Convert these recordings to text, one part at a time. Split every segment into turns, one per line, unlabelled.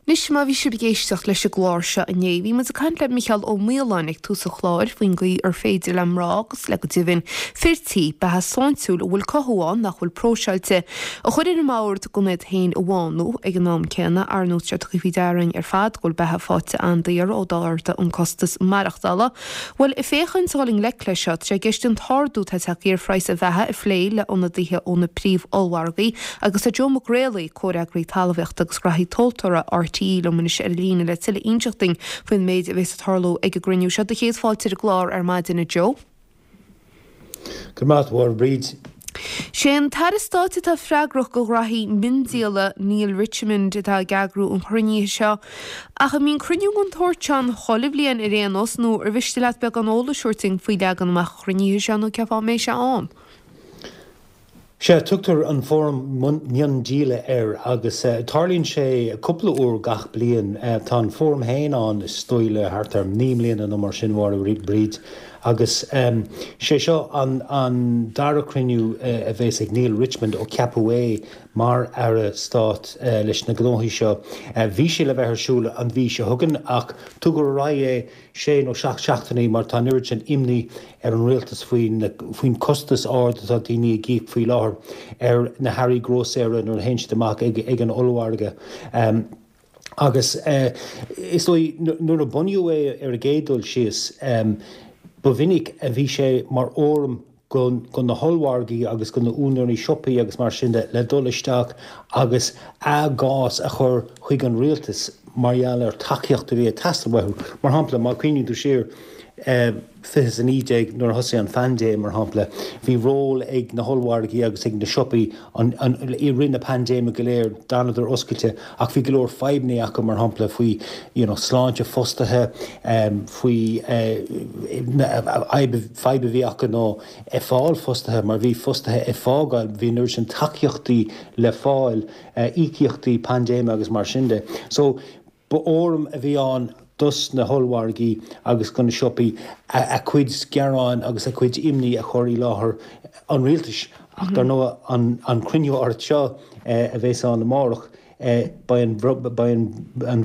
Anois, má bhí sibh ag éisteacht leis an gclár seo inné, bhí muid ag caint le Micheál Ó Maoláin ag tús an chláir faoin gcaoi ar féidir le mná agus le go deimhin fir tí, beatha sláintiúil a bhfuil cothú ann nach bhfuil próiseáilte, a chur ar an mbord gan iad féin a bhánú. Ag an am céanna, ar ndóigh, tá sé tugtha faoi deara againn ar fad go bhfuil beatha faighte an-daor ó d'ardaigh an costas maireachtála. Bhuel, ag féachaint a dhul i ngleic leis seo, tá sé i gceist an t-ardú atá tagtha ar phraghas an bheatha a phlé le ionadaithe ó na príomh-ollmhargaí agus tá Joe Mac Réalaí, Comhfhreagraí Talmhaíochta agus Graithí Tomhaltóra RTÉ liom anois ar an líne le tuilleadh a inseacht dúinn faoin méid a bhéas ag tarlú ag an gcruinniú seo. Do chéad fáilte ar an gclár ar maidin, a Joe.
Go raibh maith agat, a Mháire Bríd.
Sé an tAire Stáit atá freagrach do ghraithí miondíola, Neale Richmond, atá ag eagrú an chruinnithe seo. Ach an mbíonn cruinniú den tsórt seo ann chuile bhliain ar aon nós nó ar mhiste leat beagán eolais a thabhairt dúinn faoi leagan amach an chruinnithe seo nó cén fáth a mbeidh sé ann?
Sea, tugtar an Fóram Miondíola air agus tarlaíonn sé cúpla uair gach bliain. Tá an Fóram féin ann is dóigh le thart ar 9 mbliana nó mar sin, a Mháire Bríd, agus sé seo an dara cruinniú a bheas ag Neale Richmond ó ceapadh é mar Aire Stáit leis na gnóthaí seo. Bhí sé le bheith ar siúl an mhí seo chugainn ach tugadh ar aghaidh é sé nó 7 seachtainí mar tá an oiread sin imní ar an rialtas faoin costas ard atá daoine ag íoc faoi láthair ar na hearraí grósaera nuair a théann siad amach ag an ollmhargadh. Agus is dóigh nuair a bunaíodh é ar an gcéad dul síos, ba mhinic a bhí sé mar fhóram go na hollmhargaí agus go na úinéirí siopaí agus mar sin de le dul isteach agus a gcás a chur chuig an rialtas mar gheall ar tacaíocht a bhí ag teastáil uathu. Mar shampla, má chuimhníonn tú siar, 2019 nuair a thosaigh an phaindéim, mar shampla, bhí ról ag na hollmhargaí agus ag na siopaí i rith na paindéime go léir, d'fhanadar oscailte ach bhí go leor fadhbanna acu, mar shampla faoi you know sláinte fostaithe, faoi fadhb a bhí acu ná ag fáil fostaithe mar bhí fostaithe ag fágáil, bhí an oiread sin tacaíochtaí le fáil, íocaíochtaí paindéime agus mar sin de. So Ba fhóram a bhí ann dos na hollmhargaí agus do na siopaí a gcuid gearáin agus a gcuid imní a chur i láthair an rialtais. Ach dar ndóigh an cruinniú áirithe seo a bheas ann amárach, beidh an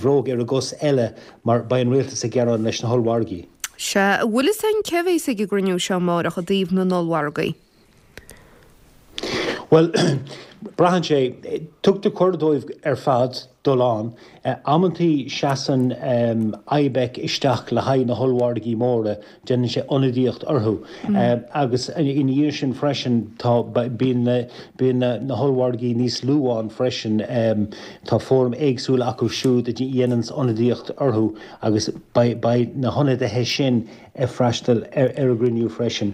bhróg ar an gcos eile mar beidh an rialtas ag gearán leis na hollmhargaí.
Sea, an bhfuil fhios againn cé a bheas ag an gcruinniú seo amárach i dtaobh na n-ollmhargaí?
Bhuel, braitheann sé. Tugtar cuireadh dóibh ar fad dul ann. Amantaí seasann IBEC isteach le haghaidh na hollmhargaí móra, déanann sé ionadaíocht orthu. Agus ina dhiaidh sin freisin tá, bíonn na, bíonn na hollmhargaí níos lú ann freisin. Tá fóraim éagsúla acu siúd a dhéananns ionadaíocht orthu agus beidh, beidh na hionadaithe sin ag freastal ar an gcruinniú freisin.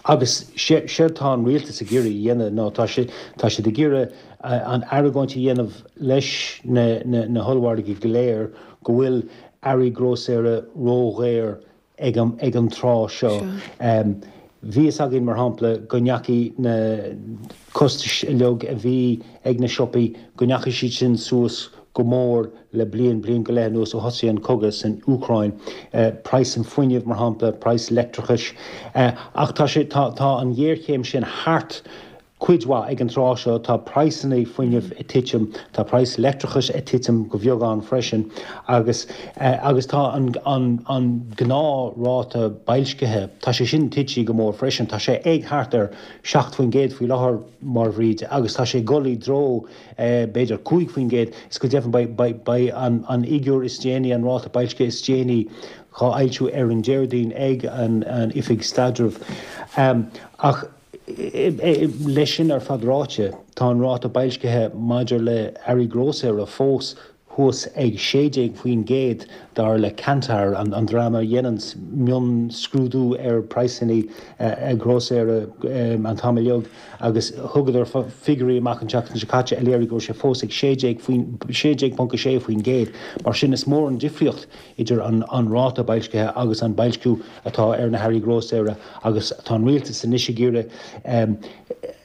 Agus séard tá an rialtas ag iarraidh a dhéanamh ná tá sé, tá siad ag iarraidh an argóint a dhéanamh leis na, na hollmhargaí go léir go bhfuil earraí grósaera ródhaor ag an, ag an tráth seo. Bhí fhios againn, mar shampla, go ndeachaigh na costais uilig a bhí ag na siopaí, go ndeachaigh siad sin suas go mór le bliain, bliain go leith anuas ó thosaigh an cogadh san Úcráin. Praghas an fuinnimh, mar shampla, praghas leictreachais. Ach tá sé, tá, tá an ghéarchéim sin thart cuid mhaith ag an tráth seo. Tá praghsanna fuinnimh ag titim, tá praghas leictreachais ag titim go bheagán freisin agus, agus tá an, an, an gnáthráta boilscithe, tá sé sin tite go mór freisin. Tá sé ag thart ar 7% faoi láthair, mar Bhríd, agus tá sé ag dul i dtreo, b'fhéidir 5%, is go deimhin beidh an fhigiúr is déanaí, an ráta boilscithe is déanaí dhá fhoilsiú ar an Déardaoin ag an Oifig Staidrimh. Ach leis sin ar fad ráite, tá an ráta boilscithe maidir le earraí grósaera fós thuas ag 16% dar le Kantar, an dream a dhéananns mionscrúdú ar praghsanna grósaera an t-am uilig, agus thugadar figiúirí amach an tseachtain seo caite a léirigh go raibh sé fós ag 16.6%. Mar sin, is mór an difríocht idir an ráta boilscithe agus an boilsciú atá ar na hearraí grósaera agus tá an rialtas anois ag iarraidh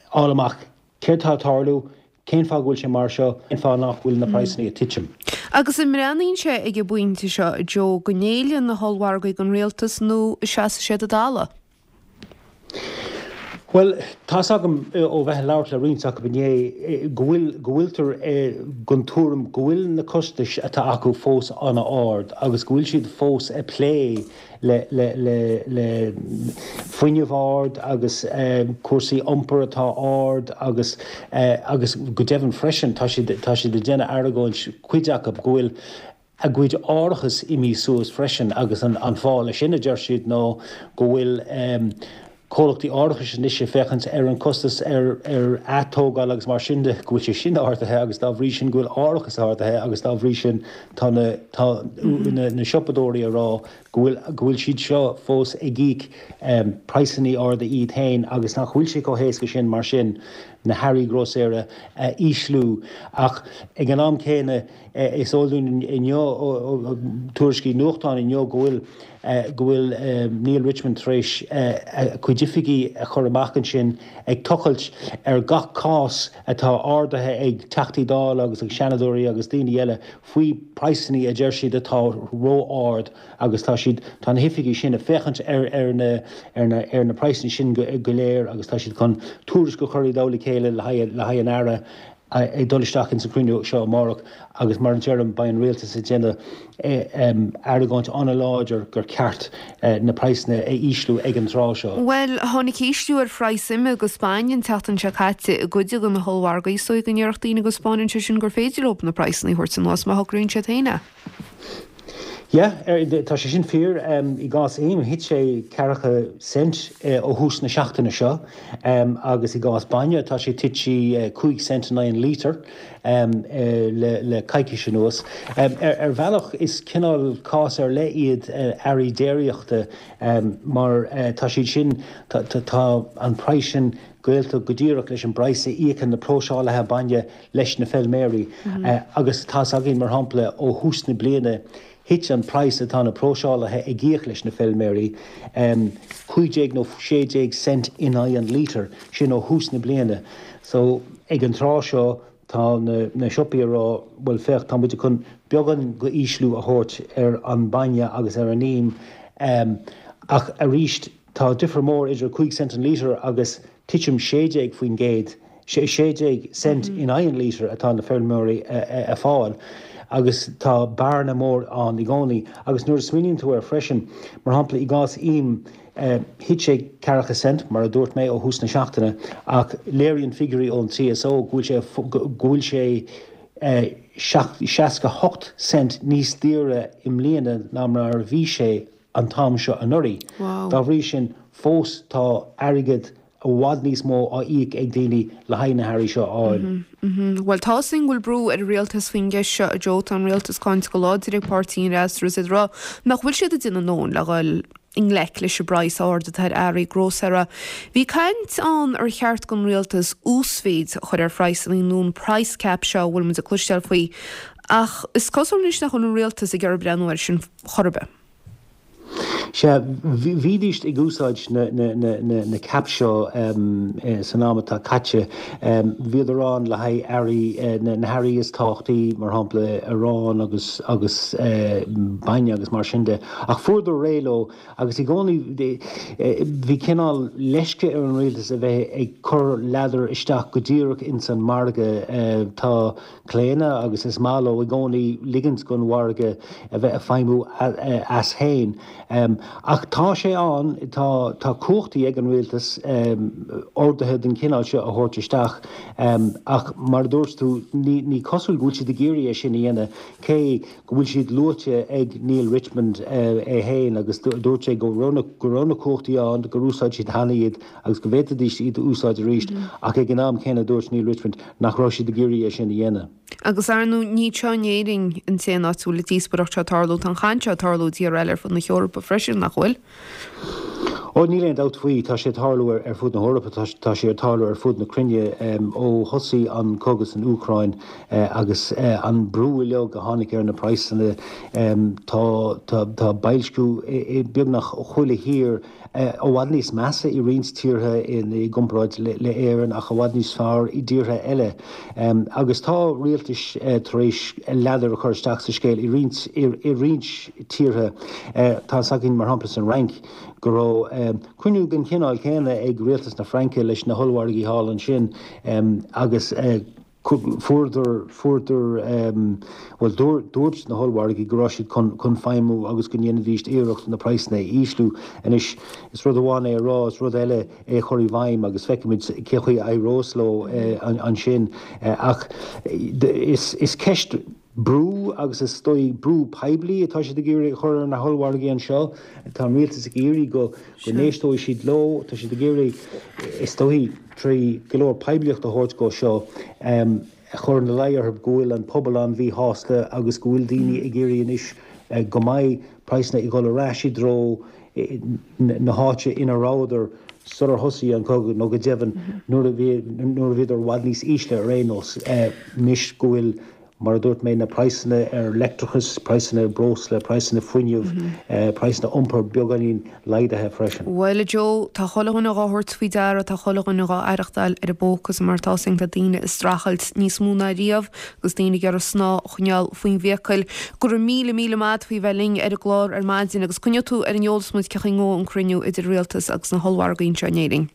fháil amach céard tá ag tarlú, Cén fáth go bhfuil sé mar seo? Cén fáth nach bhfuil na praghsanna ag titim?
Agus an mbreathnaíonn sé ag an bpointe seo, a Joe, go ngéillfidh na hollmhargaí don rialtas nó an seasfaidh siad a dtalamh?
Bhuel, tá's agam ó bheith ag labhairt le roinnt acu inné go bhfuil, go bhfuiltear den tuairim go bhfuil na costais atá acu fós an-ard agus go bhfuil siad fós ag plé le, le, le, le fuinneamh ard agus cúrsaí iompair atá ard agus, agus go deimhin freisin tá siad, tá siad ag déanamh argóint, cuid acu, go bhfuil a gcuid árachas imithe suas freisin agus an fáth leis sin, a deir siad, ná go bhfuil comhlachtaí árachais anois ag féachaint ar an costas ar atógáil agus mar sin de, go bhfuil sé sin ardaithe agus dá bhrí sin go bhfuil árachas ardaithe agus dá bhrí sin tá na tá na siopadóirí ag rá go bhfuil go bhfuil siad seo fós ag íoc praghsanna arda iad féin agus nach bhfuil sé chomh héasca sin mar sin na hearraí grósaera a ísliú ach ag an am céanna Is eol dúinn inniu ó tuairiscí nuachtáin inniu go bhfuil go bhfuil Neale Richmond tar éis a cuid oifigí a chur amach ansin ag tochailt ar gach cás atá ardaithe ag Teachtaí Dála agus ag Seanadóirí agus daoine eile faoi praghsanna a deir siad atá ró-ard agus tá siad tá na hoifigí sin ag féachaint ar ar na ar na ar na praghsanna sin go léir agus tá siad chun tuairisc a chur i dtoll a chéile le haghaidh le haghaidh an Aire ag dul isteach ins an chruinniú seo amárach agus mar a deirim beidh an rialtas ag déanamh argóint an-láidir gur ceart na praghsanna a ísliú ag an tráth seo.
Bhuel, tháinig ísliú ar phraghas ime agus bainne an tseachtain seo caite i gcuid de na hollmhargaí. Is dóigh go ndéarfadh daoine go 'spáineann sé sin gur féidir leo na praghsanna a thabhairt anuas má shocraíonn siad féin é.
Yeah, tá sé sin fíor. I gcás im, thit sé ceathracha cent ó thús na seachtaine seo agus i gcás bainne, tá sé tite 5 cent in aghaidh an lítir le coicís anuas. Ar bhealach, is cineál cás ar leith iad earraí déiríochta mar tá siad sin, tá an praghas sin gaolta go díreach leis an bpraghas a íocann na próiseálaithe bainne leis na feilméaraí agus tá's againn, mar shampla, ó thús na bliana thit an praghas atá na próiseálaithe ag íoc leis na feilméaraí 15 nó 16 cent in aghaidh an lítir, sin ó thús na bliana. So ag an tráth seo tá na siopaí ag rá bhuel féach tá muid chun beagán go ísliú a thabhairt ar an bainne agus ar an im ach arís tá difear mór idir 5 cent an lítir agus titim 16%. 16 cent in aghaidh an lítir atá na feirmeoirí a fáil agus tá bearna mór ann i gcónaí. Agus nuair a smaoiníonn tú air freisin, mar shampla i gcás im, thit sé ceathracha cent, mar a dúirt mé, ó thús na seachtaine ach léiríonn figiúirí ón TSO go bhfuil sé go bhfuil sé 68 cent níos daoire i mbliana ná mar a bhí sé an t-am seo anuraidh. Dá bhrí sin, fós tá airgead i bhfad níos mó á íoc ag daoine le haghaidh na hearraí seo a fháil.
Bhuel, tá 'fhios againn go bhfuil brú ar an rialtas faoin gceist seo, a Joe. Tá an rialtas cáinte go láidir ag páirtí an fhreasúra is iad ag rá nach bhfuil siad ag déanamh a ndóthain le dhul i ngleic leis an bpraghas ard atá ar earraí grósaera. Bhí caint ann ar cheart don rialtas uasmhéid a chur ar phraghsanna nó an price cap seo a bhfuil muid ag cloisteáil faoi ach is cosúil anois nach bhfuil an rialtas ag iarraidh breathnú air sin chor ar bith.
Sea, bhídís ag úsáid na caps seo san am atá caite. Bhíodar ann le haghaidh earraí, na hearraí is tábhachtaí, mar shampla arán agus agus bainne agus mar sin de. Ach fuaireadar réidh leo agus i gcónaí bhí cineál leisce ar an rialtas a bheith ag cur ladar isteach go díreach ins an margadh. Tá. claonadh agus is maith leo i gcónaí ligint don mhargadh a bheith ag feidhmiú as féin. Ach tá sé ann, tá tá cumhachtaí ag an rialtas orduithe den chineál seo a thabhairt isteach ach mar a dúirt tú, ní ní cosúil go bhfuil siad ag iarraidh é sin a dhéanamh cé go bhfuil siad luaite ag Neale Richmond é féin agus dúirt sé go raibh go raibh na cumhachtaí ann, gur úsáid siad cheana iad. agus go bhféadfaidís iad a úsáid arís, ach ag an am céanna dúirt Neale Richmond nach raibh siad ag iarraidh é sin a dhéanamh.
Agus ar ndóigh, ní anseo in Éirinn an t-aon áit a bhfuil an díospóireacht seo ag tarlú, tá an chaint seo ag tarlú i dtíortha eile ar fud na hEorpa freisin, nach bhfuil?
Ó, níl aon dabht faoi, tá sé ag tarlú ar fud na hEorpa, tá sé ag tarlú ar fud na cruinne ó thosaigh an cogadh san Úcráin agus an brú uilig a tháinig ar na praghsanna. Tá boilsciú i beagnach chuile thír. i bhfad níos measa i roinnt tíortha i gcomparáid le Éirinn ach i bhfad níos fearr i dtíortha eile. Agus tá rialtais tar éis ladar a chur isteach sa scéal i roinnt i roinnt tíortha. Tá fhios againn, mar shampla san Fhrainc, go raibh cruinniú den chineál céanna ag rialtas na Fraince leis na hollmhargaí thall ansin agus fuaireadar, fuaireadar, bhuel dúirt na hollmhargaí go raibh siad chun, chun feidhmiú agus go ndéanfaidís iarracht na praghsanna a ísliú. Anois, is rud amháin é a rá, is rud eile é a chur i bhfeidhm agus feicfimid cé chaoi a éireos leo ansin. Ach is, is ceist brú agus is dóigh brú poiblí atá siad ag iarraidh a chur ar na hollmhargaí anseo. Tá an rialtas ag iarraidh go n-éisteoidh siad leo. Tá siad ag iarraidh, is dóigh, trí go leor poiblíocht a thabhairt dhó seo, a chur ina luí orthu go bhfuil an pobal an-mhíshásta agus go bhfuil daoine ag iarraidh anois go mbeidh praghsanna ag dul ar ais i dtreo na háite ina rabhadar sular thosaigh an cogadh nó go deimhin nuair a bhí nuair a bhíodar i bhfad níos ísle ar aon nós. Anois go bhfuil Mar a dúirt mé, na praghsanna ar leictreachas, praghsanna ar breosla, praghsanna fuinnimh, praghsanna iompair beagáinín laghdaithe freisin.
Bhuel, a Joe, tá chuile dhuine dhá thabhairt faoi deara, tá chuile dhuine dhá aireachtáil ar a bpóca is mar atá a fhios againn tá daoine ag streachailt níos mó ná riamh agus daoine ag iarraidh snáth a choinneáil faoin bhfiacail. Go raibh míle, míle maith a't faoi bheith linn ar an gclár ar maidin agus coinneoidh tú ar an eolas muid cé chaoi a ngabhfaidh an cruinniú idir Rialtas agus na hollmhargaí anseo in Éirinn.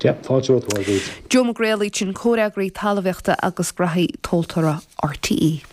Yeah, fáilte romhat, a Mhaighread.
Joe Mac Réalaigh, sin Comhfhreagraí Talmhaíochta agus Graithí Tomhaltóra RTÉ.